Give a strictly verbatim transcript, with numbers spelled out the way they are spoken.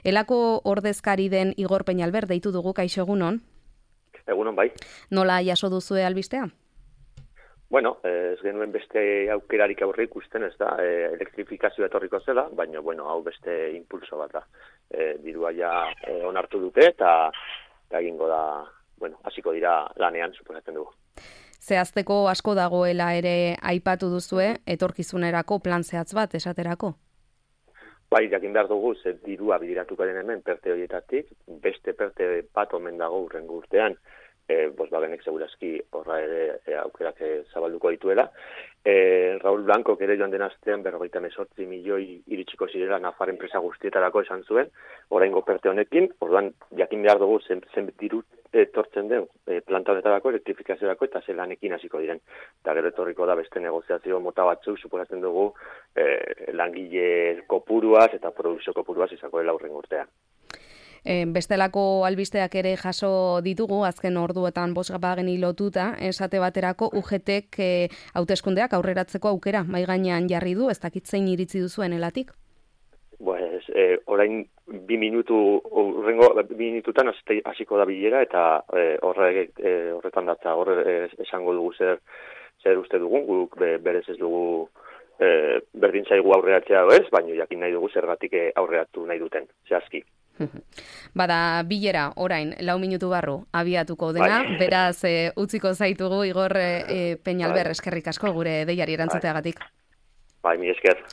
Elako ordezkari den Igor Peñalver deitu dugu, kaixo egunon. Egunon bai. Nola jaso duzue albistea? Bueno, ez genuen beste aukerarik aurre ikusten, ez da, e, elektrifikazioa etorriko zela, baina, bueno, hau beste impulso bat da. E, dirua ja e, onartu dute eta egingo da, bueno, hasiko dira lanean, suposatzen dugu. Zehazteko asko dagoela ere aipatu duzue, etorkizunerako plan zehatz bat esaterako? Bai, jakin behar dugu, ze dirua bidiratuko den hemen perte horietatik, beste perte bat omen dago urrengo urtean, e, Volkswagenek segurazki horra ere e, aukerak e, zabalduko dituela. E, Raúl Blanco ere joan den astean berrogeita hemezortzi milioi iritsiko zirela Nafar enpresa guztietarako esan zuen, oraingo perte honekin, orduan jakin behar dugu zen, zen diru etortzen den e, planta honetarako, elektrifikaziorako eta zelanekin hasiko diren. Eta gero etorriko da beste negoziazio mota batzuk, suposatzen dugu e, langile kopuruaz eta produkzio kopuruaz izako dela urrengo urtean. E, bestelako albisteak ere jaso ditugu, azken orduetan Volkswageni lotuta, esate baterako U G Tek e, hauteskundeak aurreratzeko aukera mai gainean jarri du, ez dakit zein iritzi duzuen elatik? Pues, eh, orain bi minutu, urrengo bi minututan hasiko da bilera eta eh, horre, eh, horretan datza, horre eh, esango dugu zer, zer uste dugun, guk be, berez ez dugu eh, berdin zaigu aurreratzea ez, baina jakin nahi dugu zergatik aurreratu nahi duten, zehazki. Bada bilera orain lau minutu barru abiatuko dena, bai. Beraz e, utziko zaitugu Igor e, Peñalver, bai. Eskerrik asko gure deiari erantzuteagatik. Bai, mi esker.